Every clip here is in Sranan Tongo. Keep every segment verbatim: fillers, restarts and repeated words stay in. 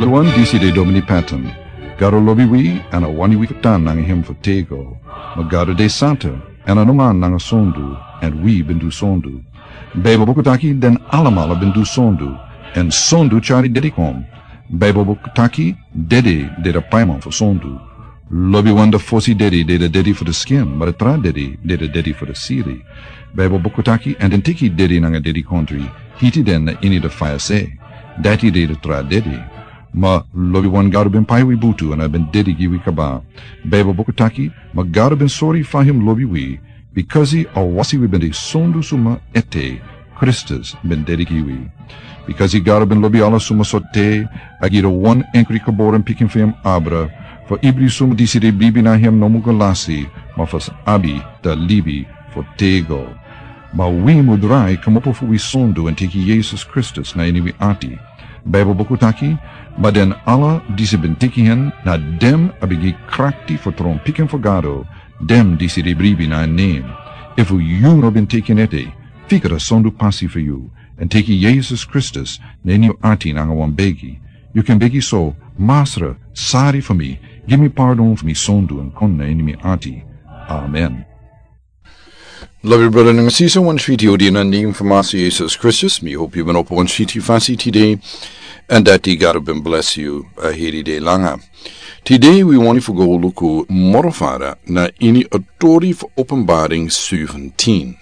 Wan disi de Domini Patton. Gado lobi wi, èn a wani wi fu tan nanga hem fu tego. Ma Gado de santa, èn a no man nanga sondu, èn wi ben du sondu. Baibel buku taki den alamala ben du sondu, èn sondu tyari dedi kon. Baibel buku taki dedi de da paiman fu sondu. Lobiwan da fosi dedi de da dedi fu da skin, ma da tra dedi de da dedi fu da siri. Baibel buku taki, èn den teki dedi nanga dedi kontri, hiti den na ini da faya se. Dati de da tra dedi. Ma lobiwan Gado ben pai wi butu èn a ben dedi gi wi kaba. Baibel buku taki, ma Gado ben sori fa hem lobi wi, bikasi a wasi wi ben de sondu suma ete, Kristus ben dedi gi wi. Bikasi Gado ben lobi ala suma so te, a gi da wan enkri geboren pikin fu hem abra, fu ibri suma disi de bribi na hem no mu go lasi, ma fu abi da libi fu tego. Ma wi mu drai kmopo fu wi sondu èn teki Yesus Kristus na ini wi ati. Baibel buku taki, ma den ala disi ben teki hen, na dem a ben gi krakti fu tron pikin fu Gado, dem disi de bribi na en nem. Efu yu no ben teki en ete, fika da sondu pasi fu yu, èn teki Yesus Kristus na ini yu ati nanga wan begi. Yu kan begi so, Masra, sari fu mi, gi mi pardon fu mi sondu èn kon na ini mi ati. Amen. Lobi brada nanga sisa, wan switi odi na nem fu Masra Yesus Kristus. Mi hopi yu ben opo wan switi fasi tide, èn dati Gado ben bless yu a heri de langa. Tide wi wani fu go luku moro fara na ini a tori fu Openbaring seventeen.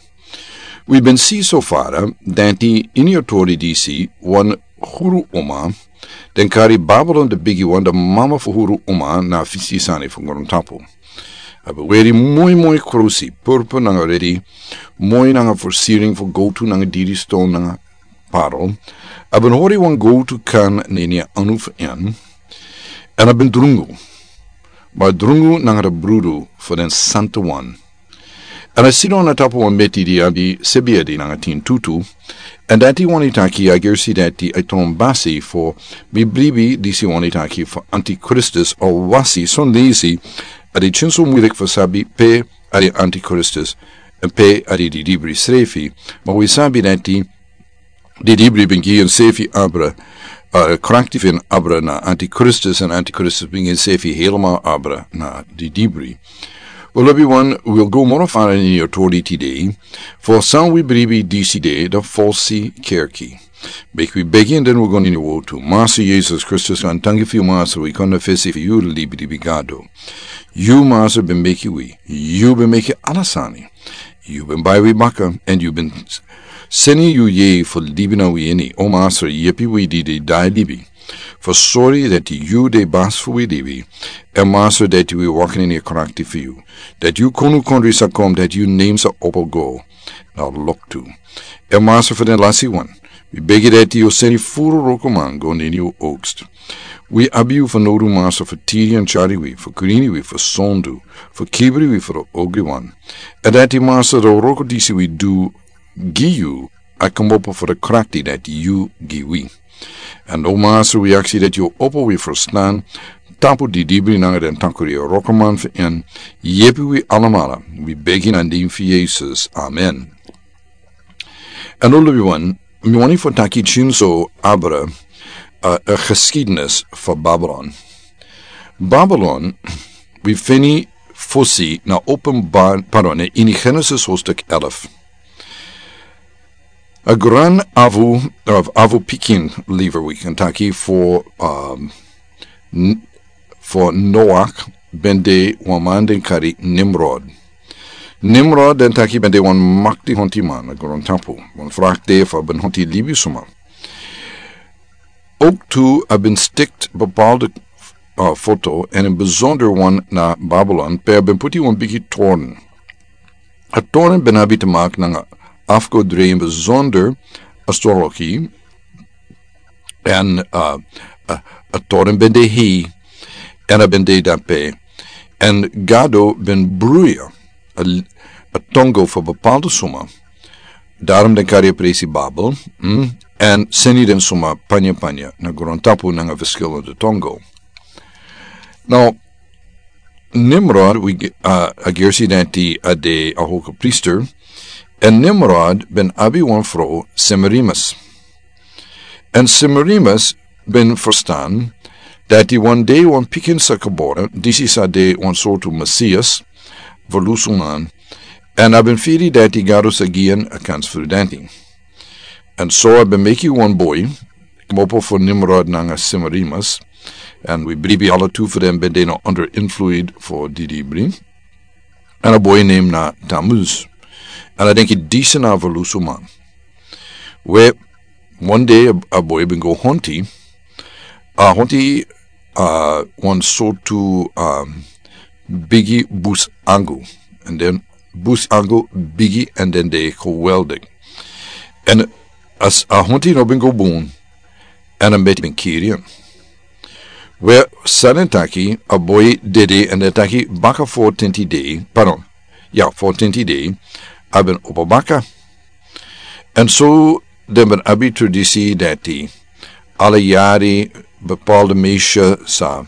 Wi ben si so fara dati ini a tori disi wan huru uma, den kari Babilon da bigiwan, da mama fu huru uma na fisi sani fu grontapu. A ben weri moi moi krusi, purpur nanga redi, moi nanga versiring fu gowtu nanga diri ston nanga parel. A ben hori wan gowtu kan na ini a anu fu en, èn a ben drungu. Ma a drungu nanga da brudu fu den santawan. Èn a sidon na tapu wan meti di abi sebi edi nanga tin tutu. Èn dati wani taki a gersi dati a tron basi fu mi bribi disi wani taki fu Antikristus, a wasi son disi a de tyenso muilik fu sabi pe a de Antikristus, èn pe a de didibri srefi. Ma wi sabi dati didibri ben gi en sefi abra, a krakti fu en abra na Antikristus, èn Antikristus ben gi en sefi helemaal abra na didibri. Wel, lobiwan, wi o go moro fara ini a tori tide, fu san wi bribi disi de, da falsi kerki. Meki wi begi èn den wi go ini a wotu. Masra Yesus Kristus, wi danki fu yu, Masra, wi kon na fesi fu yu, libi libi Gado. Yu, Masra, ben meki wi, yu ben meki ala sani. Yu ben bai wi baka, èn yu ben seni yu yeye fu libi na wi ini. O Masra, yepi wi di de dai libi, fu sori dati yu de basi fu wi libi. Èn Masra, dati wi waka ini a krakti fu yu, dati yu konu kondre sa kon, dati yu nen sa opo go na loktu. Èn Masra, fu den lasiwan, wi begi dati yu o seni furu wrokoman go na ini yu oogst. Wi abi yu fanowdu, Masra, fu tiri èn tyari wi, fu krini wi, fu sondu, fu kibri wi fu den ogriwan. Èn dati, Masra, den wroko disi wi du gi yu, a kmopo fu den krakti dati yu gi wi. Èn o Masra, wi aksi dati yu o opo wi ferstan tapu didibri nanga den takri a wrokoman fu en. Yepi wi alamala, wi begi na nen fu Yesus. Amen. Èn o, lobiwan, mi wani fu taki tyenso abra, a, a geschiedenis fu Babilon. Babilon, wi feni fosi na Openbar-, pardon, na ini Genesis hoofdstuk elf. A gran afu, of afu pikin, lever wi kan taki, fu, um, n-, fu Noach ben de wan man den kari Nimrod. Nimrod, den taki, ben de wan makti hontiman na grontapu. Wan frak de fu a ben honti libisuma. Ook tu a ben stikt bepaalde, uh, foto, èn een bijzonder wan na Babilon, pe a ben puti wan bigi toren. A toren ben abi te maken nanga afgodri, een bijzonder astrologie, èn, uh, uh, a toren ben de hei, èn a ben de dape, èn Gado ben bruya a, a tongo fu bepaalde suma. Daarom den kari a presi Babel, mm, èn seni den suma panya panya na grontapu nanga verschillende tongo. Now, Nimrod, wi, uh, a gersi dati a de a hoge priester, èn Nimrod ben abi wan fro Semiramis. Èn Semiramis ben ferstan Dati wan dei wan pikin sa kabora, disi sa de wan sortu Mesias, volusunan, èn a ben firi dati Gado sa gi en a kans fu dati. Èn so a ben meki wan boi, kmopo fu Nimrod nanga Semarimis, èn wi bribi ala tu fu den ben de na under influid fu didi bri. Èn a boi nem na Tammuz. Èn a denki disi na volusuman. We, wan dei a, a boi ben go honti. A honti, a, wan sortu, a, bigi busangu. Èn den busangu bigi èn den de geweldig. Èn a, a honti no ben go bun. Èn a meti ben kiri en. We, san den taki, a boi dede èn den taki baka fo tenti dei, pardon, ya, fo tenti dei, a ben opo baka. Èn so den ben abi tradisi dati, ala yari, bepaalde meisje sa,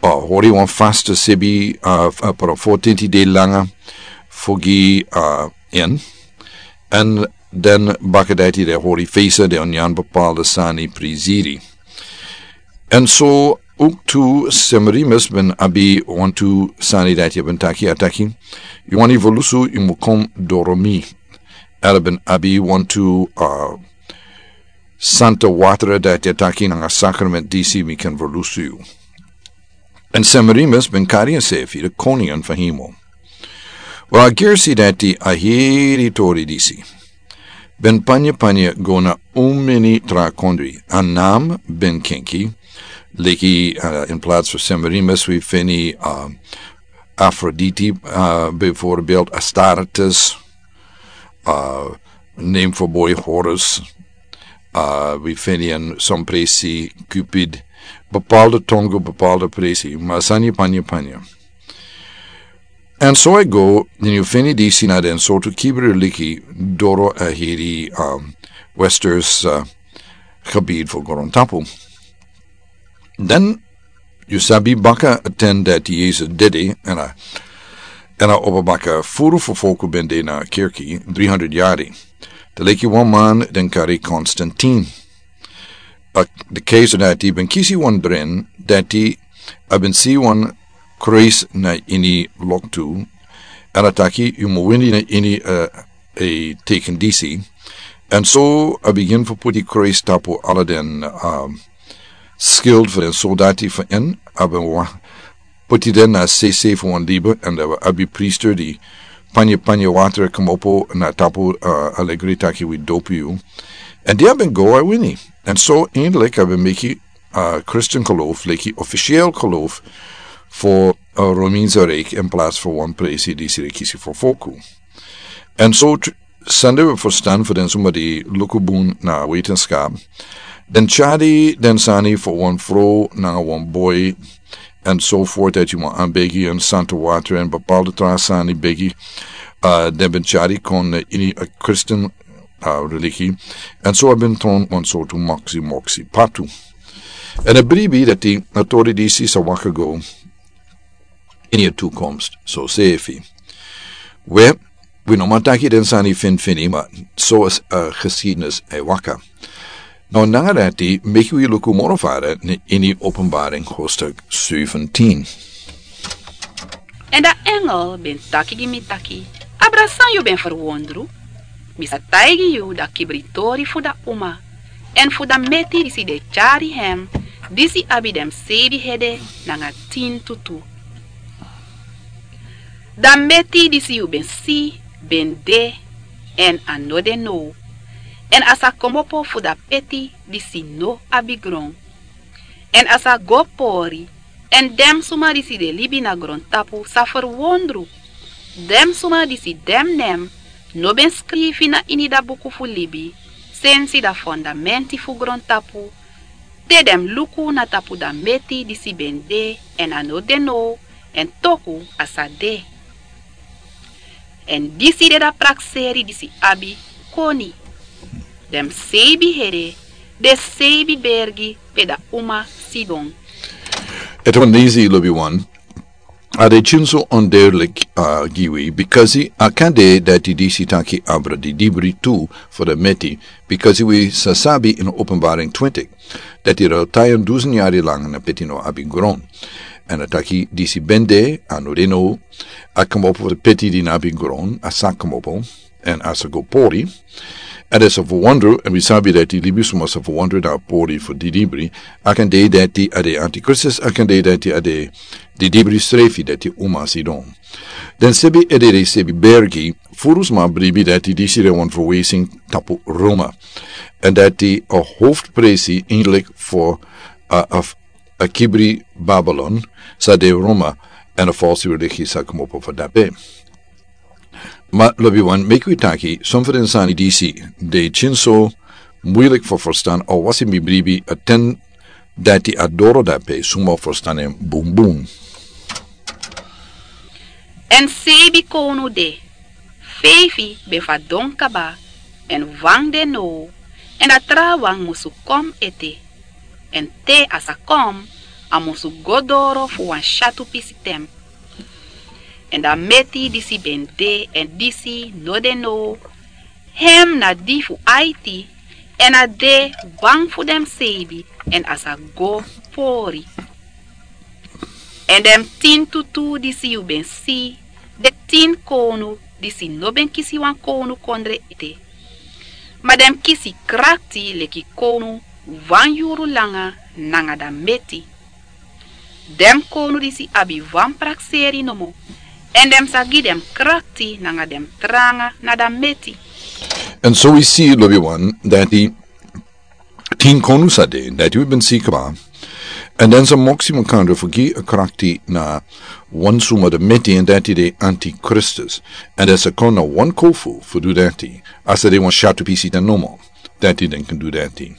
a, hori wan faste sebi, a, f-, a, pardon, fo tenti dei langa, fu gi, a, en. Èn den baka dati den hori fesa den o nyan bepaalde sani prisiri. Èn so ook tu Semarimis ben abi wantu sani dati a ben taki, a taki, yu wani volusu, yu mu kon doro mi. Èn a ben abi wantu, a, santa watra dati a taki nanga sakrament disi mi kan volusu yu. Èn Semarimis ben kari ensefi de koning fu hemel. Wel, a gersi dati a heri tori disi. Ben panya panya go na un meni tra kondri. A nam ben kenki. Leki, a, in plaats fu Semarimis wi feni, a, Afroditi, a, bijvoorbeeld Astartes, a, name fu boi Horus, a, wi feni en son presi Cupid, bepaalde tongo, bepaalde presi, ma sani panya panya. Èn so a go, den yu feni disi na den sortu kibri liki doro a heri, um, westers, uh, gebied fu grontapu. Den yu sabi baka a ten dati Yesus dede, èn a, èn a opo baka furu fu foku ben de na kerki, dri hundred yari. Te leki wan man den kari Konstantin. A, de keizer dati ben kisi wan dren, dati a ben si wan kruis na ini loktu, èn a taki, yu mu wini na ini, a, a teken disi. Èn so a bigin fu puti kruis tapu ala den, a, skild fu den soldati fu en, a ben wa-, puti den na sese fu wan liba, èn a abi priester di panya panya watra kmopo na tapu, a, alegri taki wi dopu yu. Èn di a ben go a wini. Èn so eindelijk a ben meki, a, Christen geloof, leki officieel geloof fu, a, Romeinse Rijk in plaats fu wan presi disi de kisi fu foku. Èn so tr-, sende wi verstan fu den suma di luku bun na wetenschap. Den tyari den sani fu wan fro nanga wan boi, èn so voort dati yu mu anbegi èn santa watra èn bepaalde tra sani begi, a, den ben tyari kon, a, ini a Christen, a, religie. Èn so a ben tron wan sortu moksi moksi patu. Èn a bribi dati a tori disi sa waka go ini a toekomst, so sefi. We, wi no man taki den sani finfini, ma so is, a, geschiedenis e waka. No, nanga dati, meki wi luku moro fara na ini Openbaring hoofdstuk zeventien. Èn a engel ben taki gi mi taki: Abra, san yu ben ferwondru? Mi sa taigi yu a kibritori fu a uma, èn fu a meti disi den tyari hem, disi abi den seibi hede nanga tin tutu. A meti disi yu ben si ben de, èn a no de now, èn a sa kmopo fu a peti disi no abi gron. Èn a sa go pori, èn den suma disi de libi na grontapu sa ferwondru. Den suma disi den nen no ben skrifi na ini a buku fu libi, sensi a fondamenti fu grontapu, te den luku na tapu a meti disi ben de èn a no de now, èn toku a sa de. Èn disi de a prakseri disi abi koni. Den seibi hede, den seibi bergi pe a uma sidon. Ete wan disi lobi wan. A de tyunso onduidelik, a gi wi bikasi a kan de dati disi taki abra didibri tu fo de meti, bikasi wi sa sabi ini openbaring twintik dati rel tayan dusun yari langa na peti no abi gron. Èn a taki disi ben de a no de no. A komopo fo de peti di no abi gron a sa komopo. Èn a sa go pori. Èn a sa fowondro èn wi sabi dati libisuma sa fowondro na a pori fo didibri. A kan de dati a de antikristus a kan de dati a de didibri srefi dati uma sidon. Den sebi edede sebi bergi furusma bribi dati disi de wan fowesing tapu roma. Èn dati a hofpresi indelik fo a kibri babilon sa de roma. Èn a falsi religi sa komopo fo dape. Ma lobi wan meki wi taki son fu den sani disi de tyunso muilik fo forstan a wasi mi bribi a ten dati a doro dape suma forstan en bunbun. Èn seibi kownu de feifi ben fadon kaba. Èn wan de now èn a trawan musu kon ete. Èn te a sa kon a musu go doro fu wan syatu pisi ten. Èn dan meti disi ben de èn disi no de now hem na di fu aiti. Èn a de wan fu den mus seibi èn a sa go pori. Èn den mus tin tutu disi yu ben si den tin kownu disi no ben kisi wan kownu kondre ete. Ma den mus kisi krakti leki kownu wan yuru langa nanga dan meti. Den mus kownu disi abi wan prakseri nomo. Èn den mus sa gi den mus krakti nanga den mus tranga na dan meti. Èn so wi si lobi wan dati tin konu sa de dati wi ben si kaba. Èn den sa moksi makandra fu gi a krakti na wan suma de meti èn dati de antikristus. Èn den sa kon na wan kofu fu du dati a sa de wan syatu pisi den nomo. Dati den kan du dati.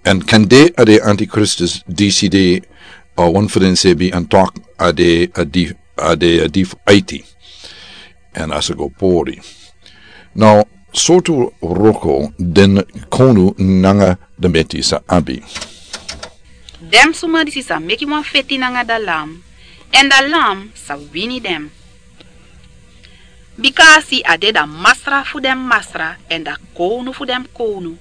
Èn kan de a de antikristus disi de a wan fu den sebi an tok a de a di fu aiti. Èn a sa go pori. Now sortu roko den konu nanga de meti sa abi. Den suma disi sa meki wan feti nanga dan lam èn dan lam sa wini den. Bika a si a de dan masra fu den masra èn dan kownu fu den kownu.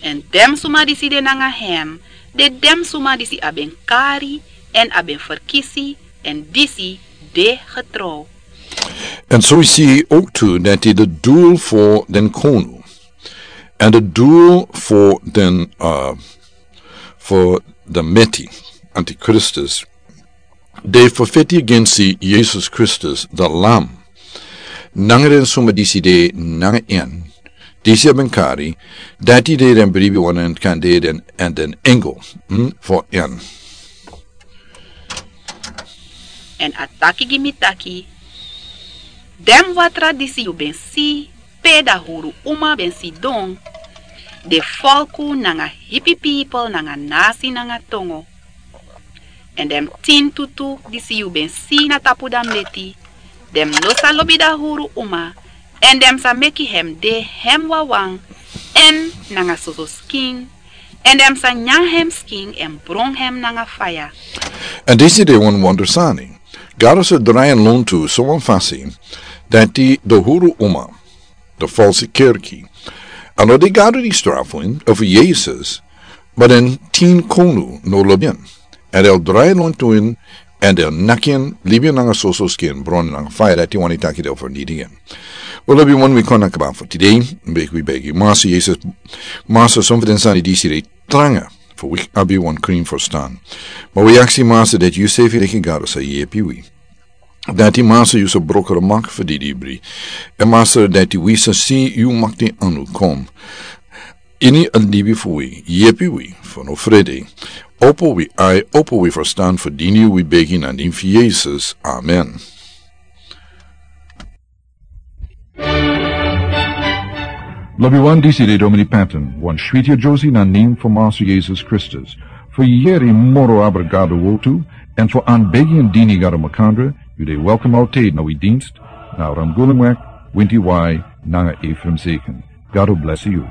Èn den suma disi de nanga hem de den suma disi a ben kari èn a ben ferkisi. Èn disi de getrow. Èn so wi si owtu dati de dul fo den konu èn de dul fo den fo de meti antikristus de fo feti agensi yesus kristus de lam. Nanga den suma disi de nanga en disi a ben kari dati de den bribi wan en kan de den èn den engel fo en. Èn a taki gi mi taki den watra disi yu ben si pe dahuru uma ben sidon de folku nanga hipi pipel nanga nasi nanga tongo. Èn den mus tin tutu disi yu ben si na tapu dan meti den mus no sa lobi dahuru uma. Èn den mus sa meki hem de hem wawan èn nanga soso skin. Èn den mus sa nyan hem skin èn bron hem nanga faya. Èn disi de wan wonder sani. Gado sa drai en lontu sowan fasi dati de huru uma de falsi kerki. A no de gado di strafu en efu yesus. Ma den tin konu no lobi en èn den o drai en lontu en èn den o naki en libi en nanga soso skin bron en nanga faya dati wani taki den o fernidi en. Wi lobi wan wi kon na kaba fu tide. Begi wi begi masa yesus. Masa son fu den sani disi de tranga fu wi abi wan krin ferstan. Ma wi aksi masa dati yu sefi leki gado sa yepi wi dati masa yu sa broko de mak fu didibri. Èn masa dati wi sa si yu makti anu kon ini a libi fu wi yepi wi fu no frede. Opo wi ai opo wi ferstan fu dini wi begi na nin fu yesus amen. Lobi wan disi de domini panton wan switi a josi na nin fu masu yesus kristus. Fu yeri moro abra gado wotu èn fu an begi an dini gado makandra. Yu de welkom alte na wi dinst na ramgulum wek winti wai nanga efrem seken. Gado blesi yu.